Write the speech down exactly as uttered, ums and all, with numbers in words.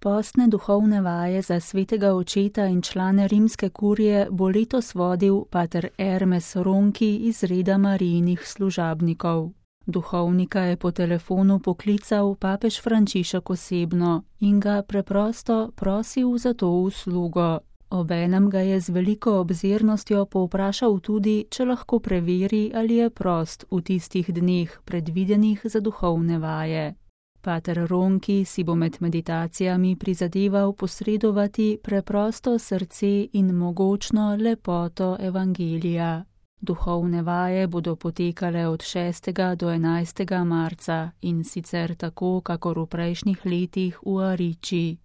predpostne duhovne vaje za svetega očeta in člane rimske kurije bo letos vodil pater Ermes Ronki iz reda Marijinih služabnikov. Duhovnika je po telefonu poklical papež Frančišek osebno in ga preprosto prosil za to uslugo. Obenem ga je z veliko obzirnostjo povprašal tudi, če lahko preveri, ali je prost v tistih dneh, predvidenih za duhovne vaje. Pater Ronki si bo med meditacijami prizadeval posredovati preprosto srce in mogočno lepoto evangelija. Duhovne vaje bodo potekale od šestega do enajstega marca in sicer tako, kakor v prejšnjih letih v Ariči.